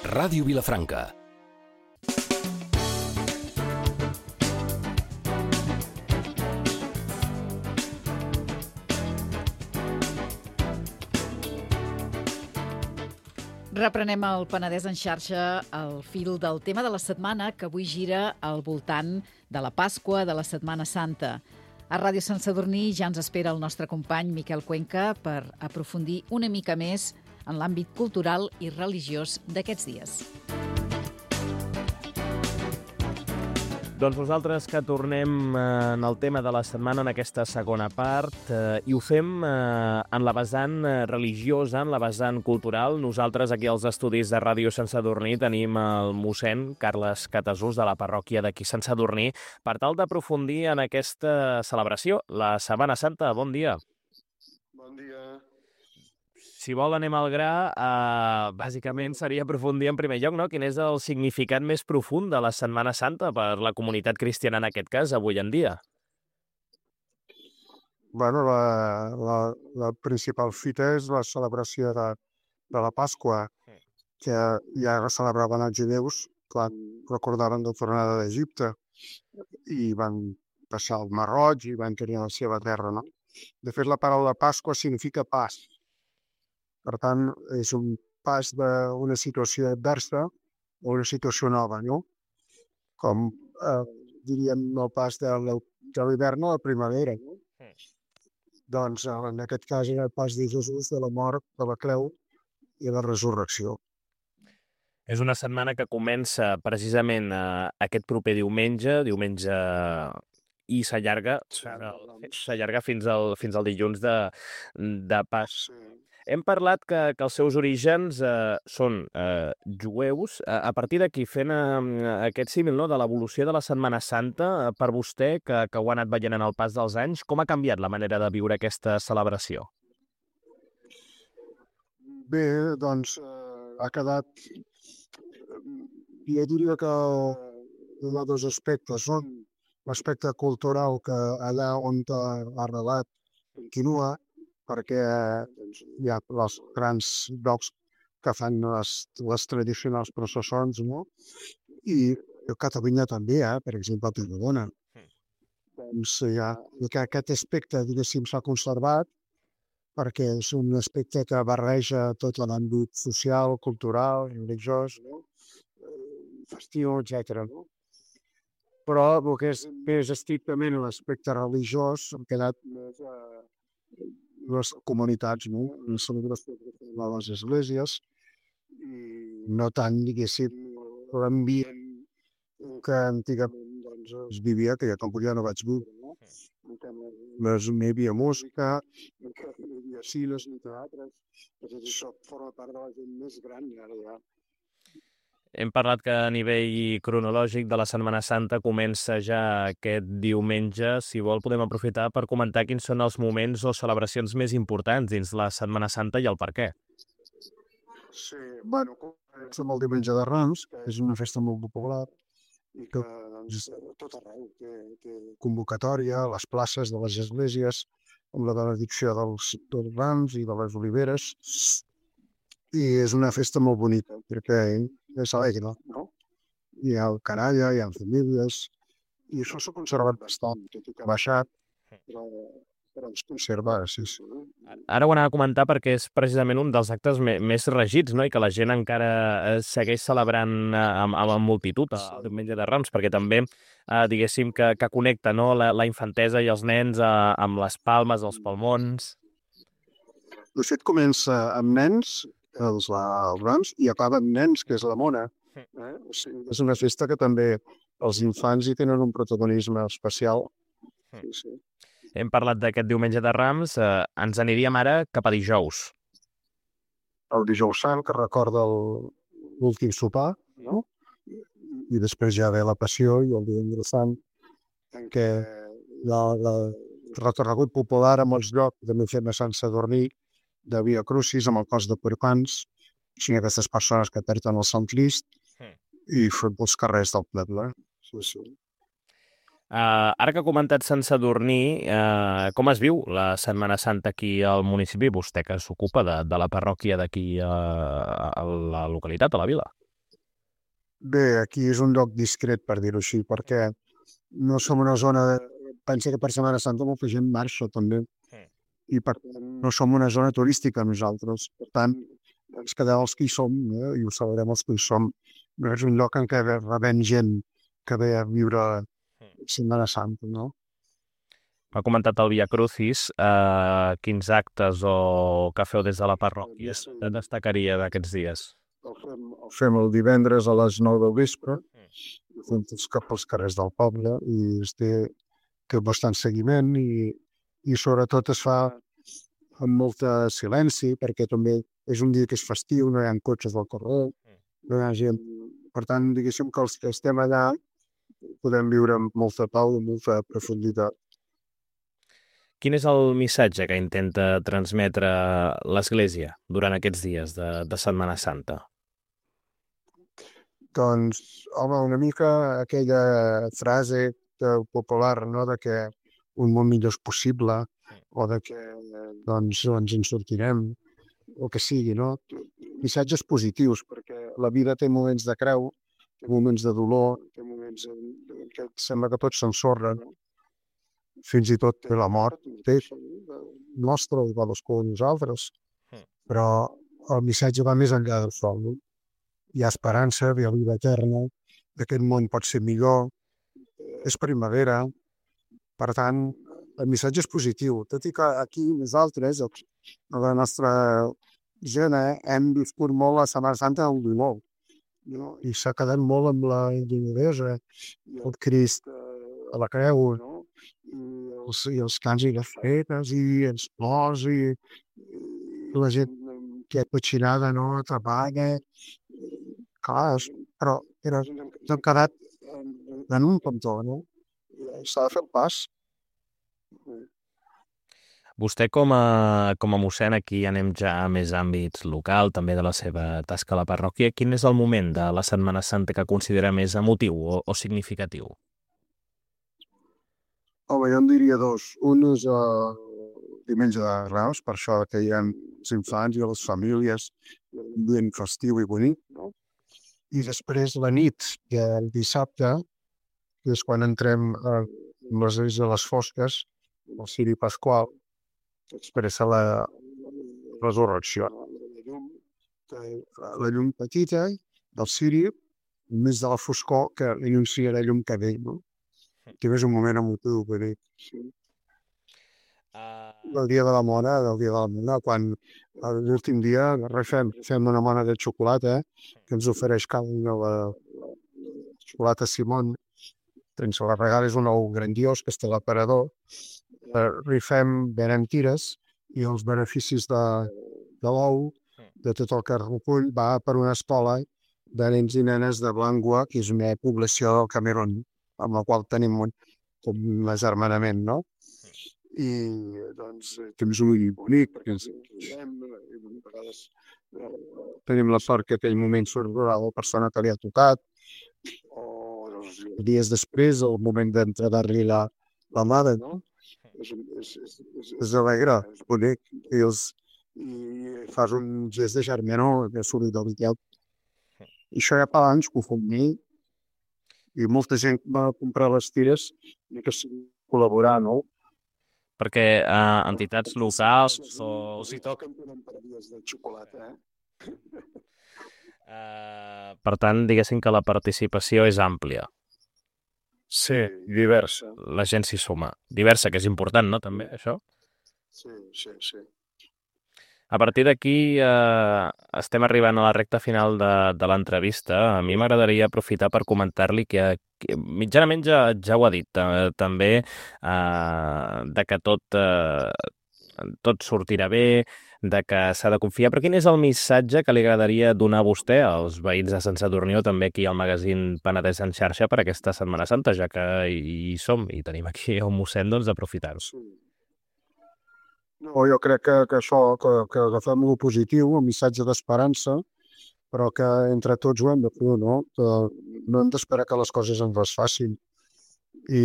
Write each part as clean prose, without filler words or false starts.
Ràdio Vilafranca. Reprenem el Penedès en xarxa, al fil del tema de la setmana, que avui gira al voltant de la Pasqua, de la Setmana Santa. A Ràdio Sant Sadurní ja ens espera el nostre company Miquel Cuenca per aprofundir una mica més en l'àmbit cultural i religiós d'aquests dies. Doncs nosaltres que tornem en el tema de la setmana en aquesta segona part i ho fem en la vessant religiosa, en la vessant cultural. Nosaltres aquí als estudis de Ràdio Sant Sadurní tenim el mossèn Carles Catasús de la parròquia d'aquí Sant Sadurní per tal d'aprofundir en aquesta celebració, la Setmana Santa. Bon dia. Bon dia. Si vol, anem al gra. Bàsicament seria aprofundir en primer lloc, no? Quin és el significat més profund de la Setmana Santa per la comunitat cristiana en aquest cas, avui en dia? Bueno, la principal fita és la celebració de la Pasqua, que ja la celebraven els judeus quan recordaven la tornada d'Egipte i van passar el Mar Roig i van tenir la seva terra, no? De fet, la paraula Pasqua significa pas. Per tant, és un pas d'una situació adversa a una situació nova, no? Com, diríem, el pas de l'hivern a la primavera, no? Doncs, en aquest cas, era el pas de Jesús de la mort, de la creu i la resurrecció. És una setmana que comença precisament aquest proper diumenge i s'allarga fins al dilluns de Pas. Hem parlat que els seus orígens són jueus. A partir d'aquí, fent aquest símil, no, de l'evolució de la Setmana Santa, per vostè, que ho ha anat veient en el pas dels anys, com ha canviat la manera de viure aquesta celebració? Bé, doncs, ha quedat... Jo diria que hi ha dos aspectes. L'aspecte cultural, que allà on ha arrelat continua, perquè hi ha els grans llocs que fan les tradicionals processons, no? I a Catalunya també, per exemple, a Tarragona. Doncs aquest aspecte, diguéssim, s'ha conservat perquè és un aspecte que barreja tot l'àmbit social, cultural, religiós, no? Festiu, etc. No? Però el que és més estrictament l'aspecte religiós ha quedat més les comunitats, no? La celebració de les esglésies i no tant, diguéssim, l'ambient que antigament doncs, es vivia, que ja com ja no vaig viure, no? No hi havia música, no hi havia cines ni teatres, això forma part de la gent més gran ara ja. Hem parlat que a nivell cronològic de la Setmana Santa comença ja aquest diumenge. Si vol, podem aprofitar per comentar quins són els moments o celebracions més importants dins la Setmana Santa i el per què. Sí, bueno, comença amb el Diumenge de Rams, que és una festa molt popular i que doncs, tot arreu té convocatòria a les places de les esglésies amb la benedicció dels rams i de les oliveres. I és una festa molt bonica, perquè és alegre, no? Hi ha canalla, hi ha famílies, i això s'ha conservat bastant, tot i que ha baixat, però es conserva, sí. Ara ho anava a comentar perquè és precisament un dels actes més regits, no? I que la gent encara segueix celebrant amb multitud el Diumenge de Rams, perquè també, diguéssim, que connecta, no? La infantesa i els nens amb les palmes, els palmons. De fet, comença amb nens, els Rams, i acaba amb nens, que és la Mona. O sigui, és una festa que també els infants hi tenen un protagonisme especial. Sí. Hem parlat d'aquest Diumenge de Rams, ens aniríem ara cap a dijous. El dijous sant, que recorda l'últim sopar, no? I després ja ve la Passió i el Divendres Sant, en què el recorregut popular a molts llocs, també fem a Sant Sadurní, de Via Crucis amb el cos de Porcans, així aquestes persones que perden el Sant Crist i fem pels carrers del poble. Sí. Ara que ha comentat Sant Sadurní, com es viu la Setmana Santa aquí al municipi? Vostè que s'ocupa de la parròquia d'aquí a la localitat, a la vila. Bé, aquí és un lloc discret, per dir-ho així, perquè no som una zona... Pensa que per Setmana Santa molta gent marxa també, i per tant no som una zona turística nosaltres. Per tant, ens quedem els que hi som, i ho celebrem els que hi som. No és un lloc en què rebem gent que ve a viure Setmana Santa, no? M'ha comentat el Via Crucis, quins actes o que feu des de la parròquia destacaria d'aquests dies? El fem el divendres a les 9 del vespre, fem tots cap pels carrers del poble i té bastant seguiment i sobretot es fa amb molt silenci, perquè també és un dia que és festiu, no hi ha cotxes al carrer, no hi ha gent. Per tant, diguéssim que els que estem allà podem viure amb molta pau i molta profunditat. Quin és el missatge que intenta transmetre l'Església durant aquests dies de Setmana Santa? Doncs, home, una mica aquella frase popular, no?, de que un món millor és possible, o de que doncs ens en sortirem, o que sigui, no? Missatges positius, perquè la vida té moments de creu, té moments de dolor, té moments en què sembla que tot s'ensorra, no? Fins i tot la mort, té nostre, o cadascú de nosaltres, però el missatge va més enllà del sol, no? Hi ha esperança, hi ha vida eterna, aquest món pot ser millor, és primavera, per tant, el missatge és positiu, tot i que aquí nosaltres, la nostra gent, hem viscut molt la Setmana Santa del dolor, no? I s'ha quedat molt amb la doloresa, el Crist a la creu, no? I els cants i les fetes, i els plors, i la gent que és petxinada, no?, treballa, clar, però hem quedat en un cantó, no? S'ha de fer el pas. Vostè com a mossèn, aquí anem ja a més àmbits local, també de la seva tasca a la parròquia, quin és el moment de la Setmana Santa que considera més emotiu o significatiu? Home, jo en diria dos. Un és el diumenge de Reus, per això que hi ha els infants i les famílies, un ambient festiu i bonic, no? I després la nit del dissabte, que és quan entrem a les nits de les fosques, el ciri pasqual, que expressa la resurrecció. La llum petita del ciri, més de la foscor, que anuncia la llum que ve, no? Que és un moment emotiu, bonic. Del dia de la mona, quan l'últim dia fem una mona de xocolata, que ens ofereix cada una la xocolata Simón, ens la regala, és un ou grandiós que està a l'aparador, rifem, venem tires, i els beneficis de l'ou, de tot el que es recull, va per una escola de nens i nenes de Blangua, que és una població del Camerun, amb la qual tenim un agermanament, no? I doncs temps molt bonic, perquè ens veiem, a vegades tenim la sort que aquell moment surt la persona que li ha tocat, o dies després, el moment d'entregar-li la mare, no? És alegre, és bonic, i fas un gest de germanor, de solidaritat. I això ja fa anys que ho fem bé, i molta gent va comprar les tires i que col·laborar, no? Perquè entitats locals o... Si toquen tenen paradies de xocolata, Per tant, diguéssim que la participació és àmplia. Sí, diversa. La gent s'hi suma. Diversa, que és important, no, també, això? Sí. A partir d'aquí estem arribant a la recta final de l'entrevista. A mi m'agradaria aprofitar per comentar-li que mitjanament ja ho ha dit, també de que tot sortirà bé, de que s'ha de confiar. Però quin és el missatge que li agradaria donar a vostè, als veïns de Sant Sadurní, o també aquí al magazín Penedès en xarxa per aquesta Setmana Santa, ja que hi som i tenim aquí el mossèn, doncs d'aprofitar-ho? No, jo crec que això, que agafem el positiu, el missatge d'esperança, però que entre tots ho hem de fer, no? Que no hem d'esperar que les coses ens les facin. I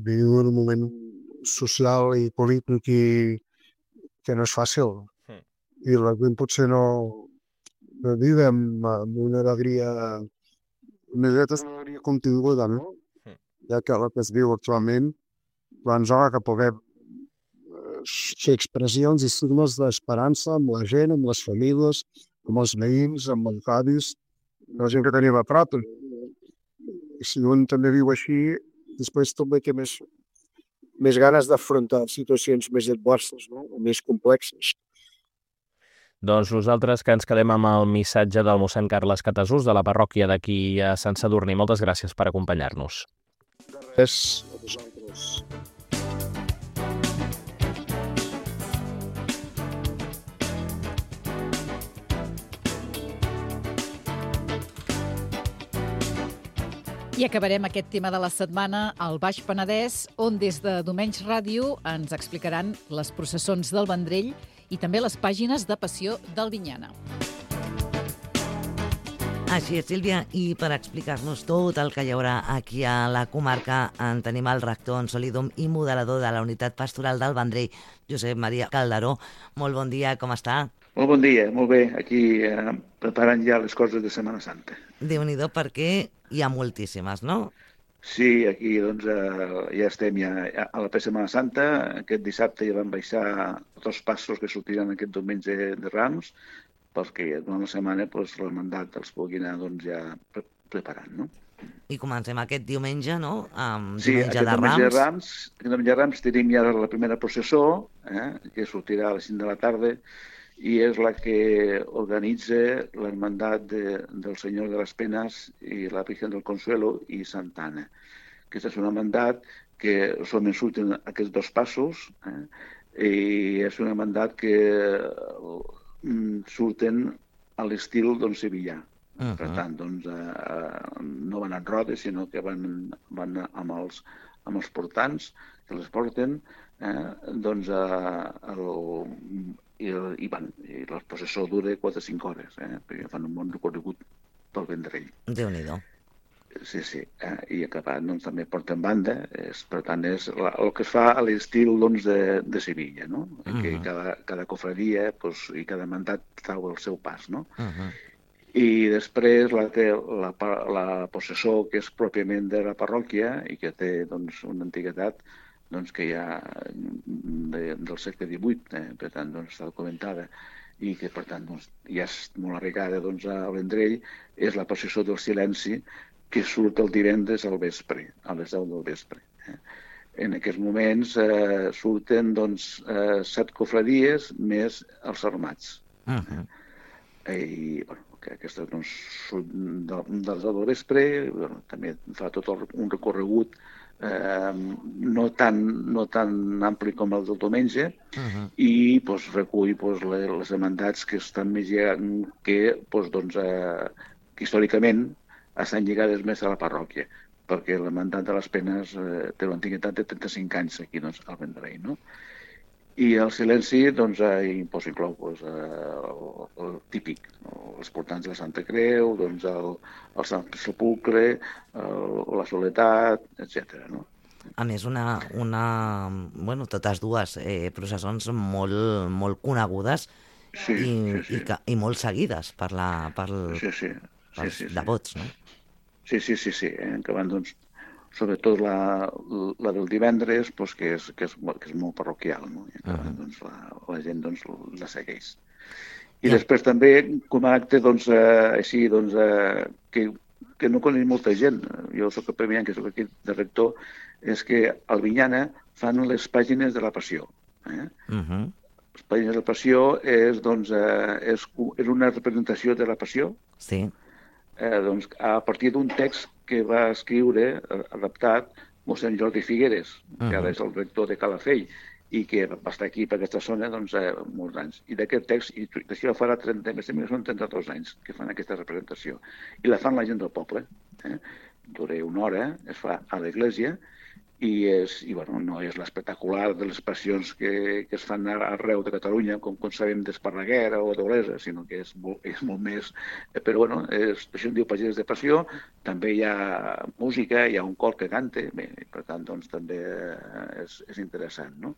vivim en un moment social i polític que no és fàcil. I la gent potser no vive amb una alegria Nosaltres no hauria continguda, no? Ja que el que es diu actualment, doncs hora que puguem fer expressions i signes d'esperança amb la gent, amb les famílies, amb els veïns, amb els avis, la gent que tenim a prop. I si un també viu així, després també té més ganes d'afrontar situacions més adverses, no? O més complexes. Doncs nosaltres que ens quedem amb el missatge del mossèn Carles Catasús de la parròquia d'aquí a Sant Sadurní. Moltes gràcies per acompanyar-nos. Res, a vosaltres. I acabarem aquest tema de la setmana al Baix Penedès, on des de Domenys Ràdio ens explicaran les processons del Vendrell i també les pàgines de Passió d'Albinyana. Així és, Sílvia, i per explicar-nos tot el que hi haurà aquí a la comarca en tenim el rector en Solidum i modelador de la Unitat Pastoral del Vendrell, Josep Maria Calderó. Molt bon dia, com està? Molt bon dia, molt bé. Aquí preparant ja les coses de Setmana Santa. Déu-n'hi-do, perquè hi ha moltíssimes, no? Sí, aquí doncs, ja estem ja a la Setmana Santa. Aquest dissabte ja van baixar tots els passos que sortiran aquest diumenge de Rams, perquè durant la setmana doncs, l'hermandat els pugui anar doncs, ja preparant, no? I comencem aquest diumenge, no? Sí, Diumenge de Rams. Aquest diumenge de Rams tenim ja la primera processó, que sortirà a les 5 de la tarda, i és la que organitza l'hermandat del Senyor de les Penes i la Virgen del Consuelo i Santa Anna. Aquest és un hermandat que solament surten aquests dos passos, i és un hermandat que surten a l'estil sevillà. Per tant, doncs, no van en rodes, sinó que van amb els portants que les porten, doncs, i la processó dura 4 o 5 hores, perquè fan un bon recorregut pel Vendrell. Déu-n'hi-do. Sí, i acabat doncs, també porten banda, per tant és el que es fa a l'estil doncs, de Sevilla, no? Que cada cofradia i cada mandat trau el seu pas, no? I després la processó, que és pròpiament de la parròquia i que té doncs, una antiguitat doncs, que ja del segle XVIII, per tant, doncs, està documentada i que, per tant, doncs, ja és molt arraigada doncs, a Vendrell, és la processó del silenci que surt el divendres al vespre, a les 10 del vespre. En aquests moments surten doncs, 7 cofradies més els armats. I, que aquesta doncs, surt de les 10 del vespre, també fa tot un recorregut no tan ampli com el del diumenge i doncs, recull doncs, les hermandats que estan més lligades, que històricament estan lligades més a la parròquia, perquè l'hermandat de les Penes té l'antiguitat de 35 anys aquí doncs, al Vendrell, no? I el silenci doncs, inclou doncs, el típic, els portants de la Santa Creu, doncs, el Sant Sepulcre, la Soledat, etc. No? A més, totes dues processons molt conegudes i molt seguides pels devots, no? Sí. Que van, doncs, sobretot la del divendres, doncs, que és molt parroquial, no? I doncs, la gent doncs, la segueix. I després també, com a acte doncs, així, doncs, que no coneix molta gent, jo soc el primer any que soc aquí de rector, és que a Albinyana fan les pàgines de la Passió. Les pàgines de la Passió és una representació de la Passió, doncs, a partir d'un text que va escriure, adaptat, mossèn Jordi Figueres, que ara és el rector de Calafell, i que va estar aquí per aquesta zona doncs, molts anys. I d'aquest text, i d'això farà 32 anys que fan aquesta representació. I la fan la gent del poble. Dura una hora, es fa a l'església, i no és l'espectacular de les passions que es fan arreu de Catalunya, com sabem d'Esparreguera o d'Olesa, sinó que és molt més... Però això en diu pàgines de passió, també hi ha música, hi ha un cor que canta, per tant, doncs, també és interessant, no?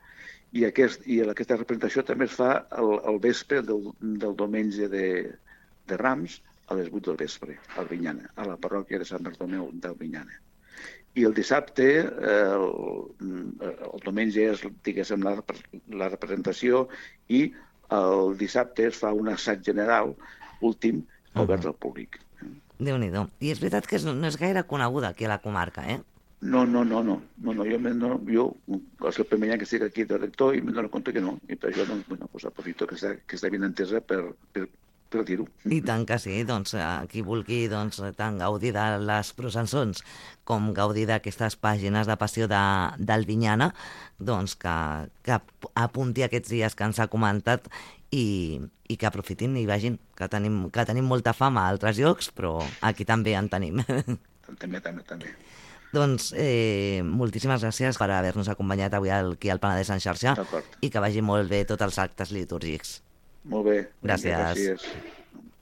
I aquesta representació també es fa al vespre del diumenge de Rams, a les 8 del vespre, a Albinyana, a la parròquia de Sant Bartomeu d'Albinyana. I el dissabte, el diumenge és, diguéssim, la representació i el dissabte es fa un assaig general últim obert al públic. Déu-n'hi-do. I és veritat que no és gaire coneguda aquí a la comarca, eh? No, jo és el primer any que estic aquí de rector i me dono compte que no. I per això, doncs, aprofito que està ben entesa per dir-ho. I tant que sí, doncs, qui vulgui tant gaudir de les processons com gaudir d'aquestes pàgines de passió d'Albinyana, doncs que apunti aquests dies que ens ha comentat i que aprofitin i vagin, que tenim molta fama a altres llocs, però aquí també en tenim. També. Doncs moltíssimes gràcies per haver-nos acompanyat avui aquí al Penedès en xarxa i que vagi molt bé tots els actes litúrgics. Molt bé. Gràcies.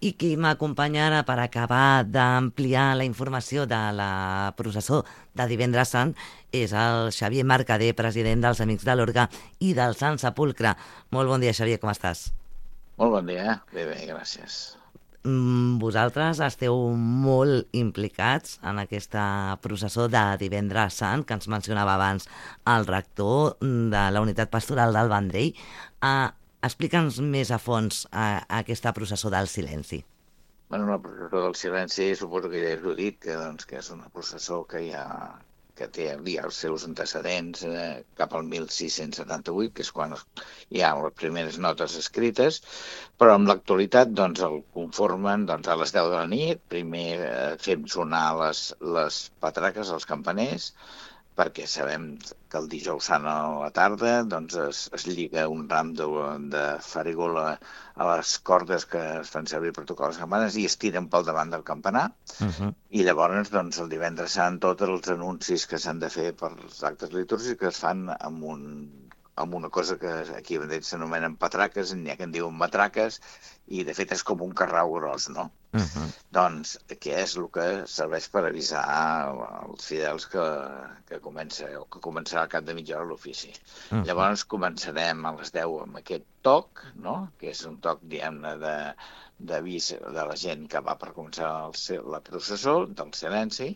I qui m'acompanya ara per acabar d'ampliar la informació de la processó de Divendres Sant és el Xavier Mercader, president dels Amics de l'Orgue i del Sant Sepulcre. Molt bon dia, Xavier, com estàs? Molt bon dia, bé, gràcies. Vosaltres esteu molt implicats en aquesta processó de Divendres Sant, que ens mencionava abans el rector de la Unitat Pastoral del Vendrell. Explica'ns més a fons aquesta processó del silenci. Bueno, la processó del silenci, suposo que ja us he dit, que és una processó que té els seus antecedents cap al 1678, que és quan hi ha les primeres notes escrites, però en l'actualitat el conformen a les 10 de la nit. Primer fem sonar les patraques, els campaners, perquè sabem que el dijous sant a la tarda es lliga un ram de farigola a les cordes que es fan servir per tocar les campanes i es tiren pel davant del campanar. I llavors, el divendres sant, tots els anuncis que s'han de fer per als actes litúrgics es fan amb una cosa que aquí s'anomenen patraques, n'hi ha que en diuen matraques, i de fet és com un carrau gros, no? Doncs, que és el que serveix per avisar els fidels que començarà al cap de mitja hora l'ofici. Llavors començarem a les 10 amb aquest toc, no? Que és un toc, diguem-ne, d'avís de la gent que va per començar la processó, del silenci,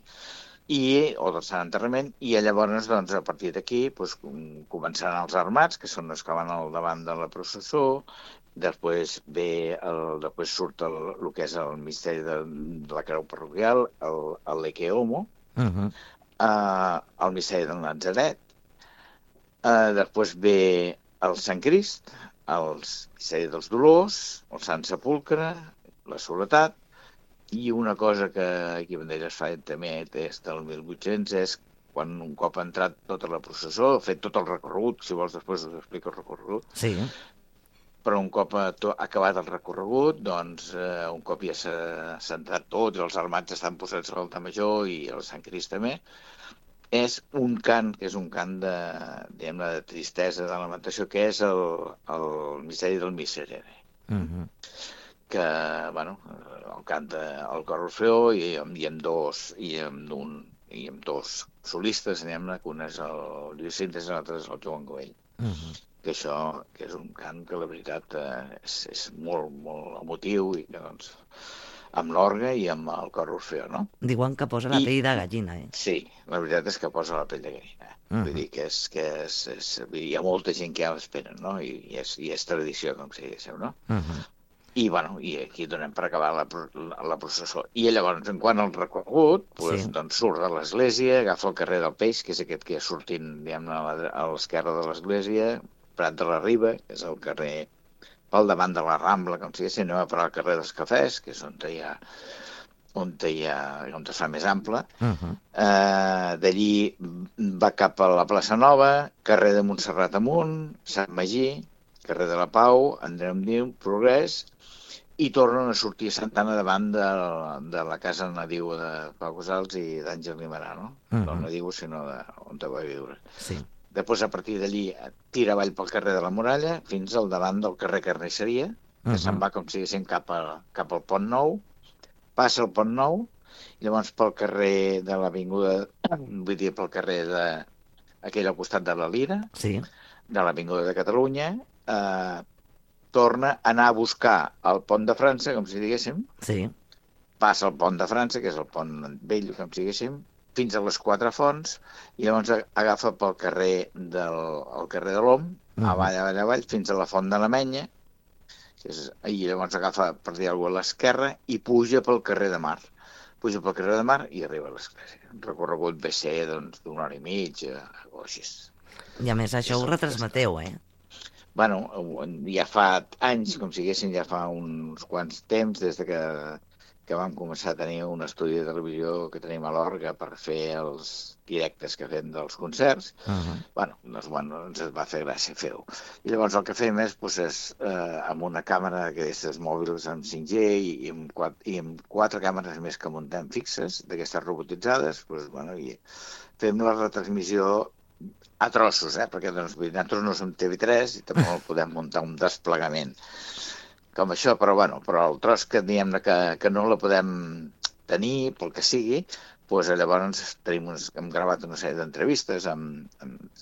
o del Sant Enterrament, i llavors, a partir d'aquí, començaran els armats, que són els que van al davant de la processó. Després surt el que és el misteri de la creu parroquial, el Leke Homo, el misteri del Natzaret, després ve el Sant Crist, el misteri dels Dolors, el Sant Sepulcre, la Soledat, i una cosa que aquí a Vandellòs fa també des del 1800 és quan un cop ha entrat tota la processó, ha fet tot el recorregut, si vols després us explico el recorregut. Sí. Però un cop ha acabat el recorregut, un cop ja s'ha entrat tot, els armats estan posats a l'altar major i el Sant Crist també, és un cant, que és un cant de tristesa, de lamentació, que és el misteri del Miserere. Que, el canta el cor Orfeó i amb dos solistes, que un és el Lluís Cintes i l'altre és el Joan Govell. Que això que és un cant que la veritat és molt, molt emotiu i que amb l'orgue i amb el cor Orfeó, no? Diuen que posa la pell de gallina, eh? Sí, la veritat és que posa la pell de gallina. Vull dir que hi ha molta gent que ja l'esperen, no? I és tradició, com si diguéssiu, no? I aquí donem per acabar la processó. I llavors, en quant al recorregut, surt de l'església, agafa el carrer del Peix, que és aquest que ja sortint, diguem-ne, a l'esquerra de l'església, Prat de la Riba, que és el carrer pel davant de la Rambla, com si diguéssim, anem a parar al carrer dels Cafès, que és on es fa més ample. D'allí va cap a la plaça Nova, carrer de Montserrat amunt, Sant Magí, carrer de la Pau, Andreu Diu, Progrés, i tornen a sortir a Santana davant de la casa nadiu de Pau Casals i d'Àngel Guimarà, no? No nadiu, sinó on va viure. Després, a partir d'allí, tira avall pel carrer de la Muralla fins al davant del carrer Carnisseria, que se'n va, com si diguéssim, cap al Pont Nou, passa el Pont Nou, i llavors pel carrer de l'Avinguda, vull dir, pel carrer aquell al costat de la Lira, de l'Avinguda de Catalunya, torna a anar a buscar el Pont de França, com si diguéssim, passa el pont de França, que és el pont vell, com diguéssim, fins a les Quatre Fonts, i llavors agafa pel carrer el carrer de l'Om, avall, fins a la Font de l'Amenya, i llavors agafa, per dir alguna cosa, a l'esquerra i puja pel carrer de Mar. Puja pel carrer de Mar i arriba a l'església. Un recorregut ve ser d'una hora i mitja o així. I a més això ho retransmeteu, Bueno, ja fa anys, com si diguéssim, ja fa uns quants temps, des que vam començar a tenir un estudi de televisió que tenim a l'Orga per fer els directes que fem dels concerts. Bueno, ens va fer gràcia fer-ho. I llavors el que fem és amb una càmera d'aquestes mòbils amb 5G i amb 4 càmeres més que muntem fixes, d'aquestes robotitzades, i fem la retransmissió a trossos, perquè nosaltres no som TV3 i tampoc podem muntar un desplegament com això, però el tros que diem que no la podem tenir, pel que sigui, llavors hem gravat una sèrie d'entrevistes,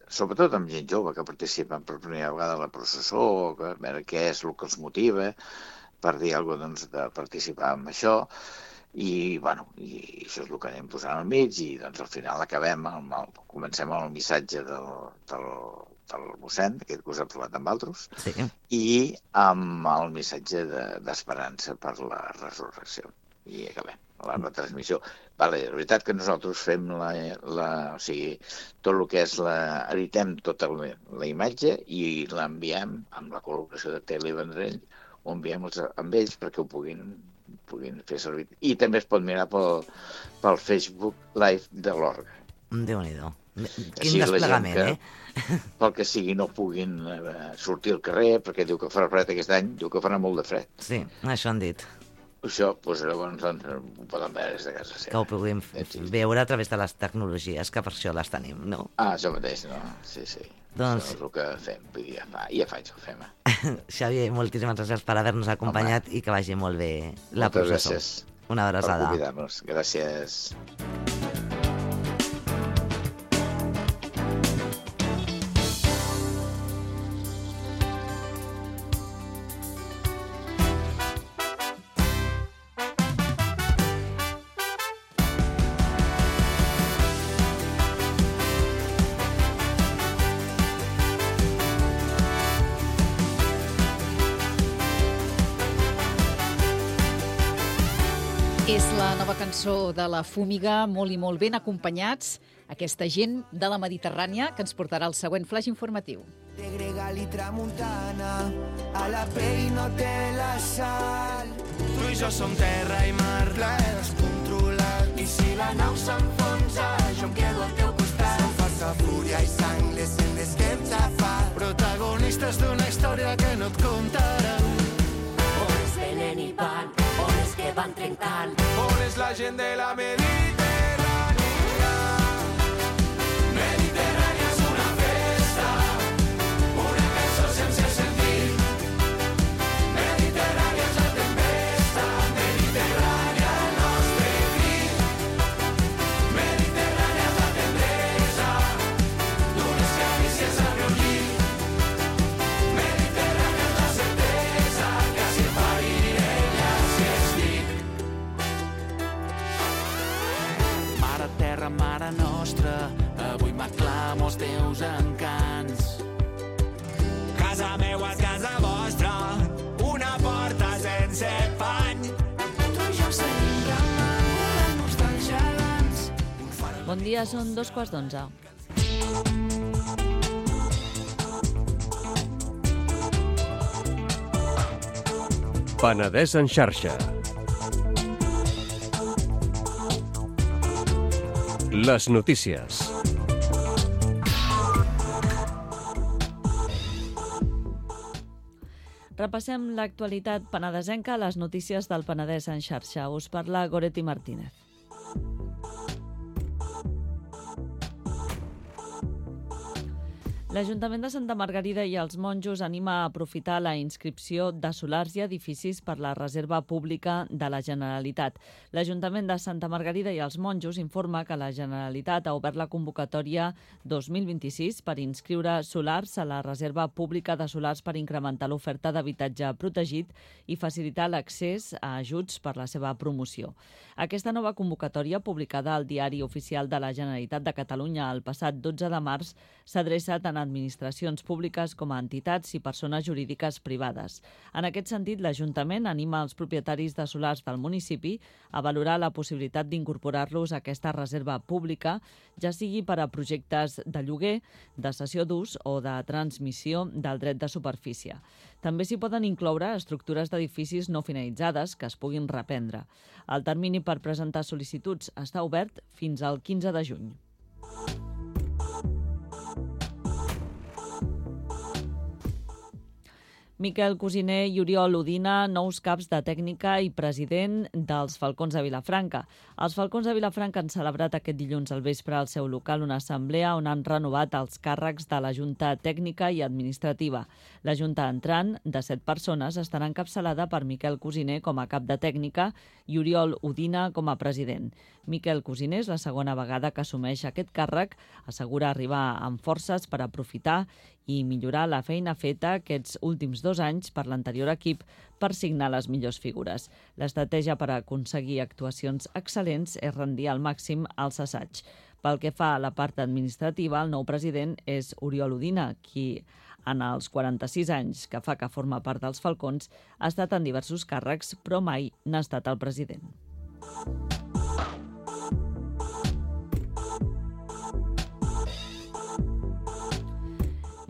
sobretot amb gent jove que participa per primera vegada a la processó, a veure què és el que els motiva, per dir alguna cosa, de participar en això, i això és el que anem posant al mig, i al final comencem amb el missatge del mossèn, aquest que us ha parlat amb altres, i amb el missatge d'esperança per la resurrecció. I acabem la retransmissió. La veritat que nosaltres fem tot el que és editem tota la imatge i l'enviem amb la col·laboració de Tele i Vendrell, ho enviem amb ells perquè ho puguin fer servir. I també es pot mirar pel Facebook Live de l'Orga. Déu-n'hi-do. Quin desplegament, Pel que sigui no puguin sortir al carrer, perquè diu que farà fred aquest any, diu que farà molt de fred. Sí, això han dit. Això, llavors ho poden veure des de casa seva. Que ho puguem veure a través de les tecnologies, que per això les tenim, no? Això mateix, no? Sí. Doncs... Això és el que fem, ja fa anys que ho fem. Xavier, moltíssimes gràcies per haver-nos acompanyat i que vagi molt bé la processó. Moltes gràcies. Una abraçada. Per convidar-nos. Gràcies. És la nova cançó de la Fúmiga, molt i molt ben acompanyats, aquesta gent de la Mediterrània que ens portarà el següent flash informatiu. De Gregal i Tramuntana, a la pell no té la sal. Tu i jo som terra i mar, plaer descontrolat. I si la nau s'enfonsa, jo em quedo al teu costat. Som força, fúria i sang, les sendes que hem xafat. Protagonistes d'una història que no et contaran. Homes venen i van, homes que van trencant. On és la gent de la Mediterrània? Mediterrània és una festa, una cançó sense sentit. Mediterrània és la tempesta, Mediterrània el nostre crit. Mediterrània és la tendresa d'unes carícies al meu llit. Mediterrània és la certesa que si pariré ja si estic. Mare terra, mare nostra, avui m'aclamo els teus encants. Casa meua és casa vostra, una porta sense pany. Tu i jo seguim remant, volem-nos dels gegants. Bon dia, són 11:15. Penedès en xarxa. Les notícies. Repassem l'actualitat penedesenca a les notícies del Penedès en xarxa. Us parla Goretti Martínez. L'Ajuntament de Santa Margarida i els monjos anima a aprofitar la inscripció de solars i edificis per la reserva pública de la Generalitat. L'Ajuntament de Santa Margarida i els monjos informa que la Generalitat ha obert la convocatòria 2026 per inscriure solars a la reserva pública de solars per incrementar l'oferta d'habitatge protegit i facilitar l'accés a ajuts per la seva promoció. Aquesta nova convocatòria, publicada al Diari Oficial de la Generalitat de Catalunya el passat 12 de març, s'adreça tant a administracions públiques com a entitats i persones jurídiques privades. En aquest sentit, l'Ajuntament anima els propietaris de solars del municipi a valorar la possibilitat d'incorporar-los a aquesta reserva pública, ja sigui per a projectes de lloguer, de cessió d'ús o de transmissió del dret de superfície. També s'hi poden incloure estructures d'edificis no finalitzades que es puguin reprendre. El termini per presentar sol·licituds està obert fins al 15 de juny. Miquel Cosiner i Oriol Udina, nous caps de tècnica i president dels Falcons de Vilafranca. Els Falcons de Vilafranca han celebrat aquest dilluns al vespre al seu local una assemblea on han renovat els càrrecs de la Junta Tècnica i Administrativa. La Junta entrant, de 7 persones, estarà encapçalada per Miquel Cosiner com a cap de tècnica i Oriol Udina com a president. Miquel Cosiner és la segona vegada que assumeix aquest càrrec, assegura arribar amb forces per aprofitar i millorar la feina feta aquests últims 2 anys per l'anterior equip per signar les millors figures. L'estratègia per aconseguir actuacions excel·lents és rendir al màxim els assaigs. Pel que fa a la part administrativa, el nou president és Oriol Udina, qui en els 46 anys que fa que forma part dels Falcons ha estat en diversos càrrecs, però mai n'ha estat el president.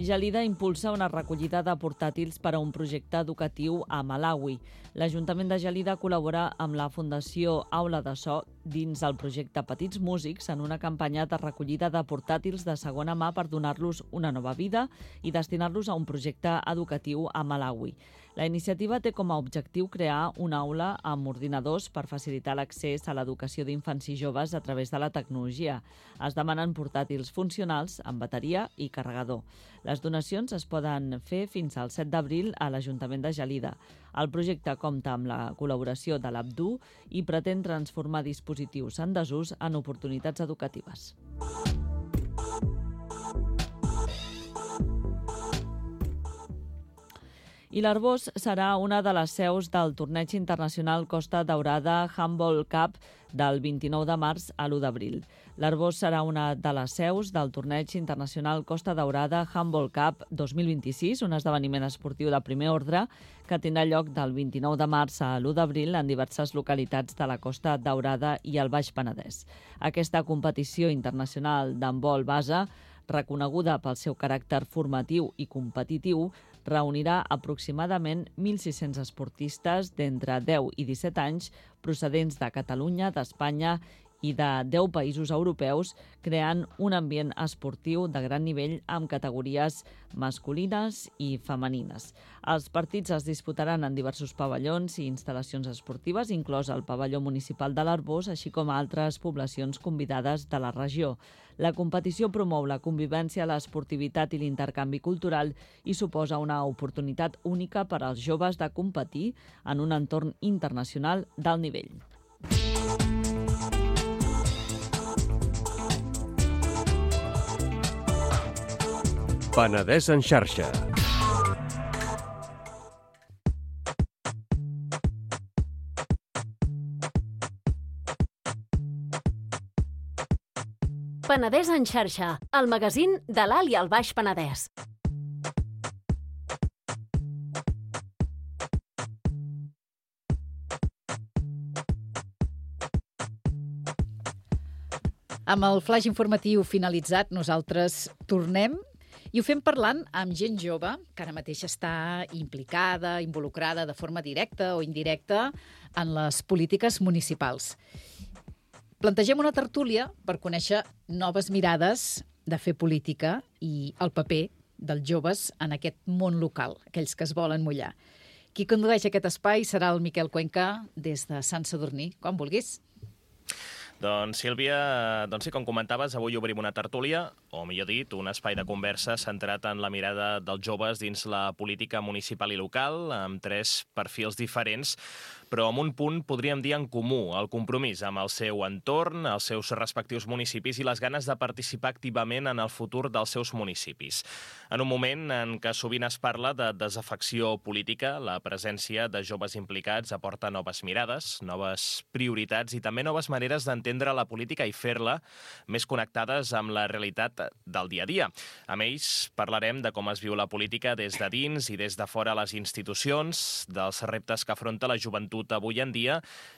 Gelida impulsa una recollida de portàtils per a un projecte educatiu a Malawi. L'Ajuntament de Gelida col·labora amb la Fundació Aula de So dins el projecte Petits Músics en una campanya de recollida de portàtils de segona mà per donar-los una nova vida i destinar-los a un projecte educatiu a Malawi. La iniciativa té com a objectiu crear una aula amb ordinadors per facilitar l'accés a l'educació d'infants i joves a través de la tecnologia. Es demanen portàtils funcionals amb bateria i carregador. Les donacions es poden fer fins al 7 d'abril a l'Ajuntament de Gelida. El projecte compta amb la col·laboració de l'Abdu i pretén transformar dispositius en desús en oportunitats educatives. I l'Arbós serà una de les seus del torneig internacional Costa Daurada Handball Cup del 29 de març a l'1 d'abril. L'Arbós serà una de les seus del torneig internacional Costa Daurada Handball Cup 2026, un esdeveniment esportiu de primer ordre que tindrà lloc del 29 de març a l'1 d'abril en diverses localitats de la Costa Daurada i el Baix Penedès. Aquesta competició internacional d'handbol base, reconeguda pel seu caràcter formatiu i competitiu, reunirà aproximadament 1.600 esportistes d'entre 10 i 17 anys procedents de Catalunya, d'Espanya i de 10 països europeus, creant un ambient esportiu de gran nivell amb categories masculines i femenines. Els partits es disputaran en diversos pavellons i instal·lacions esportives, inclòs el pavelló municipal de l'Arbós, així com altres poblacions convidades de la regió. La competició promou la convivència, l'esportivitat i l'intercanvi cultural i suposa una oportunitat única per als joves de competir en un entorn internacional d'alt nivell. Penedès en xarxa. Penedès en xarxa, el magazín de l'Alt i el Baix Penedès. Amb el flaix informatiu finalitzat, nosaltres tornem i ho fem parlant amb gent jove que ara mateix està implicada, involucrada de forma directa o indirecta en les polítiques municipals. Plantegem una tertúlia per conèixer noves mirades de fer política i el paper dels joves en aquest món local, aquells que es volen mullar. Qui condueix aquest espai serà el Miquel Cuenca des de Sant Sadurní, quan vulguis. Doncs, Sílvia, sí, com comentaves, avui obrim una tertúlia o millor dit, un espai de conversa centrat en la mirada dels joves dins la política municipal i local, amb 3 perfils diferents, però amb un punt, podríem dir, en comú, el compromís amb el seu entorn, els seus respectius municipis i les ganes de participar activament en el futur dels seus municipis. En un moment en què sovint es parla de desafecció política, la presència de joves implicats aporta noves mirades, noves prioritats i també noves maneres d'entendre la política i fer-la més connectades amb la realitat del dia a dia. Amb ells parlarem de com es viu la política des de dins i des de fora les institucions, dels reptes que afronta la joventut avui en dia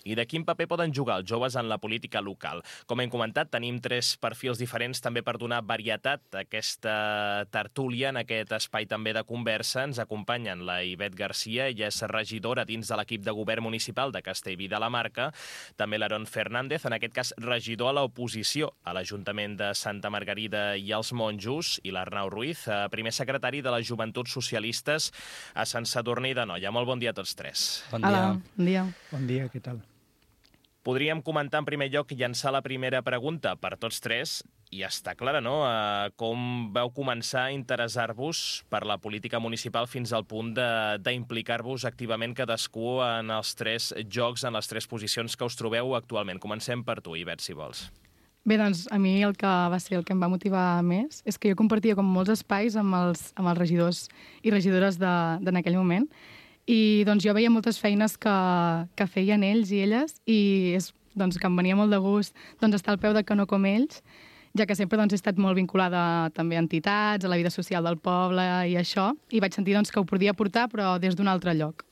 i de quin paper poden jugar els joves en la política local. Com hem comentat, tenim 3 perfils diferents també per donar varietat a aquesta tertúlia, en aquest espai també de conversa. Ens acompanyen la Ivet Garcia, ella és regidora dins de l'equip de govern municipal de Castellví de la Marca, també l'Aaron Fernández, en aquest cas regidor a l'oposició a l'Ajuntament de Santa Margarida i els Monjos, i l'Arnau Ruiz, primer secretari de les Joventuts Socialistes a Sant Sadurní d'Anoia. Molt bon dia a tots 3. Bon dia. Hola, bon dia. Bon dia, què tal? Podríem comentar en primer lloc, llançar la primera pregunta per tots 3, i està clara, no?, com vau començar a interessar-vos per la política municipal fins al punt d'implicar-vos activament cadascú en els 3 jocs, en les 3 posicions que us trobeu actualment. Comencem per tu, Ivet, si vols. Bé, doncs a mi el que va ser el que em va motivar més és que jo compartia com molts espais amb els regidors i regidores d'en aquell moment, i doncs jo veia moltes feines que feien ells i elles, i doncs, que em venia molt de gust estar al peu de canó com ells, ja que sempre he estat molt vinculada també a entitats, a la vida social del poble i això, i vaig sentir que ho podia portar, però des d'un altre lloc.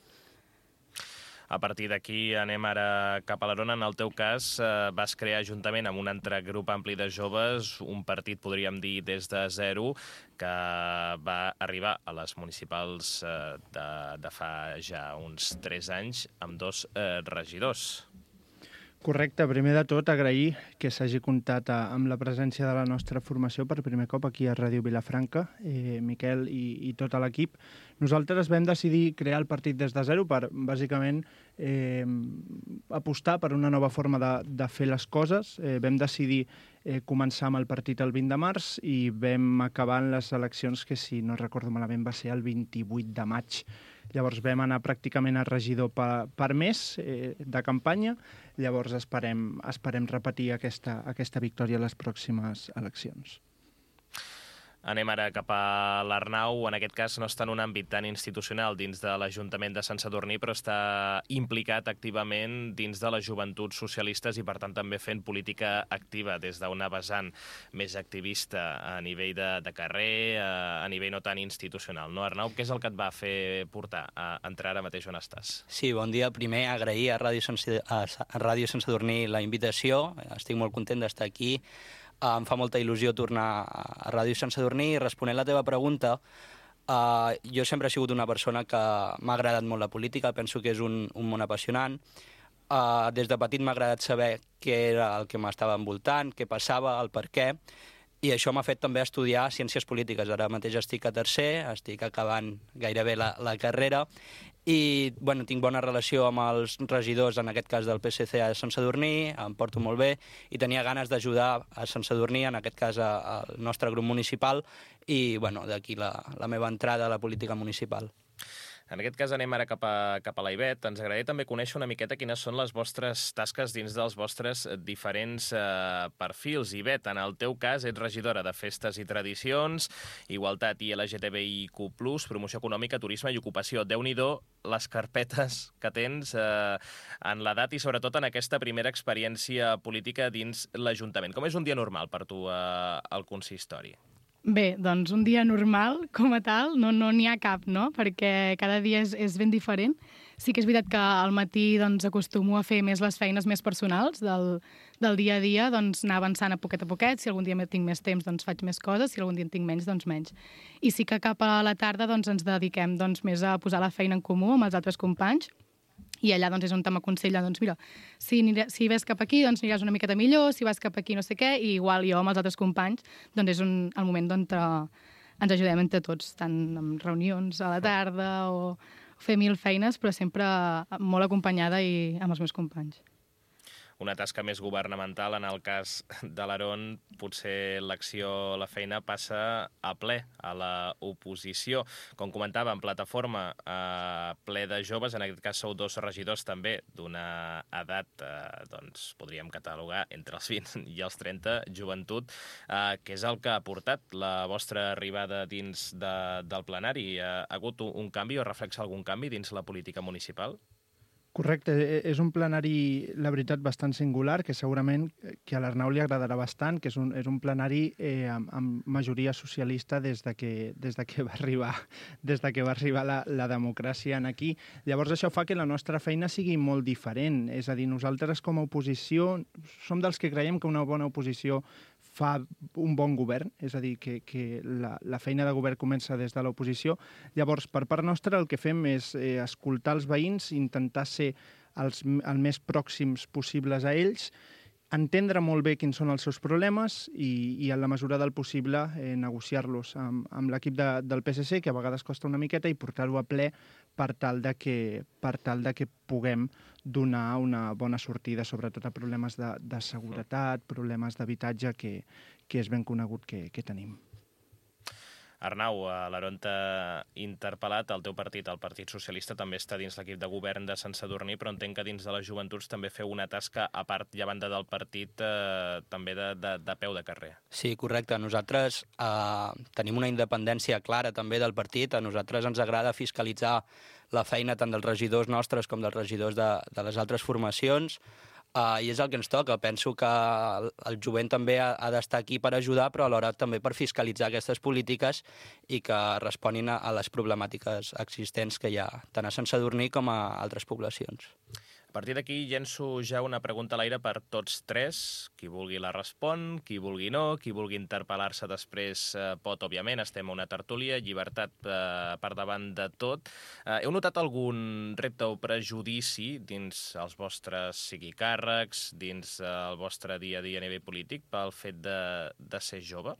A partir d'aquí anem ara cap a l'Aaron. En el teu cas, vas crear, juntament amb un altre grup ampli de joves, un partit, podríem dir, des de zero, que va arribar a les municipals de fa ja uns 3 anys amb 2 regidors. Correcte. Primer de tot, agrair que s'hagi comptat amb la presència de la nostra formació per primer cop aquí a Ràdio Vilafranca, Miquel i tot l'equip. Nosaltres vam decidir crear el partit des de zero per, bàsicament, apostar per una nova forma de fer les coses. Vam decidir començar amb el partit el 20 de març i vam acabar en les eleccions que, si no recordo malament, va ser el 28 de maig. Llavors vam anar pràcticament a regidor per mes de campanya. Llavors esperem repetir aquesta victòria a les pròximes eleccions. Anem ara cap a l'Arnau. En aquest cas no està en un àmbit tan institucional dins de l'Ajuntament de Sant Sadurní, però està implicat activament dins de les Joventuts Socialistes i, per tant, també fent política activa des d'una vessant més activista a nivell de carrer, a nivell no tan institucional. No, Arnau, què és el que et va fer portar a entrar ara mateix on estàs? Sí, bon dia. Primer, agrair a Ràdio Sant Sadurní la invitació. Estic molt content d'estar aquí. Em fa molta il·lusió tornar a Ràdio Sant Sadurní i responent la teva pregunta, jo sempre he sigut una persona que m'ha agradat molt la política, penso que és un món apassionant. Des de petit m'ha agradat saber què era el que m'estava envoltant, què passava, el per què, i això m'ha fet també estudiar ciències polítiques. Ara mateix estic a tercer, estic acabant gairebé la carrera, i tinc bona relació amb els regidors, en aquest cas del PSC a Sant Sadurní, em porto molt bé, i tenia ganes d'ajudar a Sant Sadurní, en aquest cas al nostre grup municipal, i d'aquí la meva entrada a la política municipal. En aquest cas anem ara cap a la Ivet. Ens agradaria també conèixer una miqueta quines són les vostres tasques dins dels vostres diferents perfils. Ivet, en el teu cas ets regidora de Festes i Tradicions, Igualtat i LGTBIQ+, Promoció Econòmica, Turisme i Ocupació. Déu-n'hi-do les carpetes que tens en l'edat i sobretot en aquesta primera experiència política dins l'Ajuntament. Com és un dia normal per tu al consistori? Bé, doncs un dia normal, com a tal, no n'hi ha cap, no? Perquè cada dia és ben diferent. Sí que és veritat que al matí acostumo a fer més les feines més personals del dia a dia, anar avançant a poquet. Si algun dia tinc més temps, faig més coses, si algun dia en tinc menys, menys. I sí que cap a la tarda ens dediquem més a posar la feina en comú amb els altres companys, i allà és on m'aconsella, mira, si ves cap aquí aniràs una miqueta millor, si vas cap aquí no sé què, i igual jo amb els altres companys és el moment on ens ajudem entre tots, tant en reunions a la tarda o fer 1000 feines, però sempre molt acompanyada i amb els meus companys. una tasca més governamental. En el cas de l'Aron, potser l'acció, la feina passa a ple a l'oposició. Com comentàvem, plataforma ple de joves, en aquest cas sou 2 regidors també d'una edat, doncs podríem catalogar entre els 20 i els 30, joventut, que és el que ha portat la vostra arribada dins del plenari. Ha hagut un canvi o reflexa algun canvi dins la política municipal? Correcte, és un plenari, la veritat, bastant singular, que segurament que a l'Arnau li agradarà bastant, que és un plenari amb majoria socialista des de que va arribar la democràcia aquí. Llavors això fa que la nostra feina sigui molt diferent, és a dir, nosaltres com a oposició som dels que creiem que una bona oposició fa un bon govern, és a dir, que la feina de govern comença des de l'oposició. Llavors, per part nostra, el que fem és escoltar els veïns, intentar ser el més pròxims possibles a ells, entendre molt bé quins són els seus problemes i en la mesura del possible negociar-los amb l'equip del PSC, que a vegades costa una miqueta, i portar-ho a ple per tal de que puguem donar una bona sortida, sobretot a problemes de seguretat, problemes d'habitatge, que és ben conegut que tenim. Arnau, l'Aron t'ha interpel·lat, el teu partit, el Partit Socialista, també està dins l'equip de govern de Sant Sadurní, però entenc que dins de les joventuts també feu una tasca, a part i a banda del partit, també de peu de carrer. Sí, correcte. Nosaltres tenim una independència clara també del partit. A nosaltres ens agrada fiscalitzar la feina tant dels regidors nostres com dels regidors de les altres formacions, i és el que ens toca. Penso que el jovent també ha d'estar aquí per ajudar, però alhora també per fiscalitzar aquestes polítiques i que responin a les problemàtiques existents que hi ha tant a Sant Sadurní com a altres poblacions. A partir d'aquí llenço ja una pregunta a l'aire per tots 3. Qui vulgui la respon, qui vulgui no, qui vulgui interpel·lar-se després pot, òbviament. Estem a una tertúlia, llibertat per davant de tot. Heu notat algun repte o prejudici dins els vostres sigui càrrecs, dins el vostre dia a dia a nivell polític pel fet de ser jove?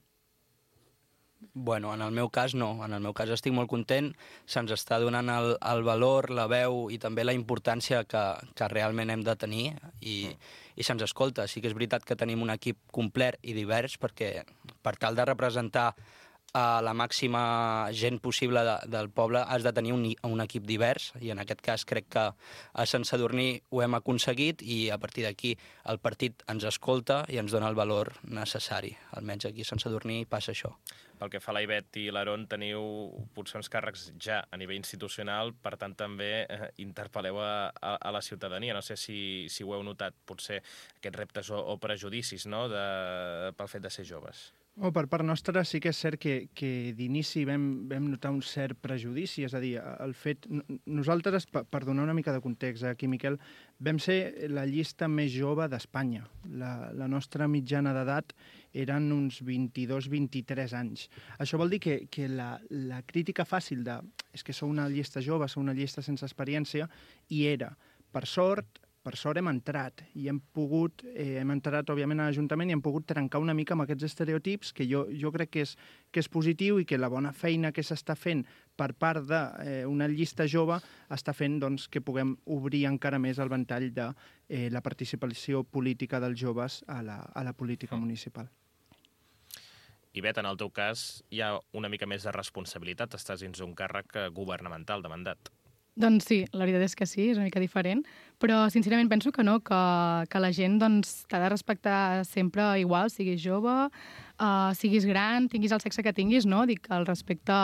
Bueno, en el meu cas no. En el meu cas estic molt content. Se'ns està donant el valor, la veu i també la importància que realment hem de tenir i se'ns escolta. Sí que és veritat que tenim un equip complet i divers perquè per tal de representar la màxima gent possible del poble has de tenir un equip divers i en aquest cas crec que a Sant Sadurní ho hem aconseguit i a partir d'aquí el partit ens escolta i ens dona el valor necessari. Almenys aquí a Sant Sadurní passa això. Pel que fa a la Ivet i l'Aron, teniu potser uns càrrecs ja a nivell institucional, per tant també interpel·leu a la ciutadania. No sé si ho heu notat, potser aquests reptes o prejudicis, no?, pel fet de ser joves. Per part nostra sí que és cert que d'inici vam notar un cert prejudici, és a dir, el fet... Nosaltres, per donar una mica de context aquí, Miquel, vam ser la llista més jove d'Espanya. La nostra mitjana d'edat eren uns 22-23 anys. Això vol dir que la crítica fàcil de és que sou una llista jove, sou una llista sense experiència, hi era. Per sort hem entrat i hem entrat, òbviament, a l'Ajuntament i hem pogut trencar una mica amb aquests estereotips que jo crec que és positiu i que la bona feina que s'està fent per part d'una llista jove està fent que puguem obrir encara més el ventall de la participació política dels joves a la política municipal. Ivet, en el teu cas hi ha una mica més de responsabilitat, estàs dins un càrrec governamental de mandat. Doncs sí, la veritat és que sí, és una mica diferent, però sincerament penso que no, que la gent t'ha de respectar sempre igual, siguis jove, siguis gran, tinguis el sexe que tinguis, no? Dic que el respecte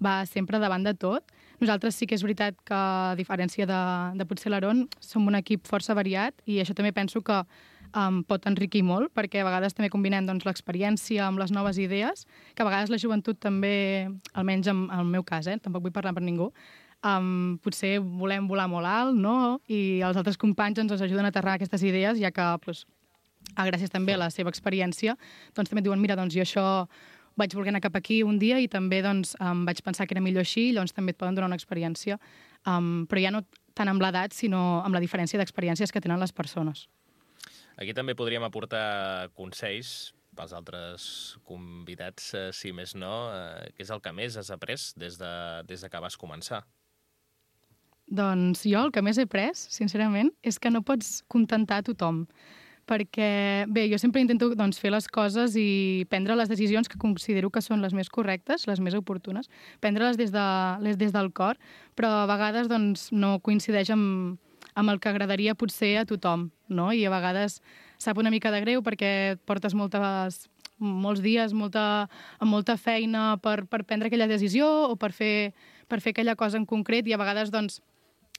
va sempre davant de tot. Nosaltres sí que és veritat que, a diferència de potser l'Aron, som un equip força variat i això també penso que pot enriquir molt, perquè a vegades també combinem l'experiència amb les noves idees, que a vegades la joventut també, almenys en el meu cas, tampoc vull parlar per ningú, potser volem volar molt alt, no? I els altres companys ens ajuden a aterrar aquestes idees, ja que, gràcies també a la seva experiència, també et diuen, mira, jo això vaig voler anar cap aquí un dia i també vaig pensar que era millor així, llavors també et poden donar una experiència, però ja no tant amb l'edat, sinó amb la diferència d'experiències que tenen les persones. Aquí també podríem aportar consells pels altres convidats, si més no, què és el que més has après des que vas començar? Doncs jo el que més he pres, sincerament, és que no pots contentar a tothom. Perquè, bé, jo sempre intento fer les coses i prendre les decisions que considero que són les més correctes, les més oportunes, prendre-les des del cor, però a vegades no coincideix amb el que agradaria potser a tothom, no? I a vegades sap una mica de greu perquè portes molts dies amb molta feina per prendre aquella decisió o per fer aquella cosa en concret i a vegades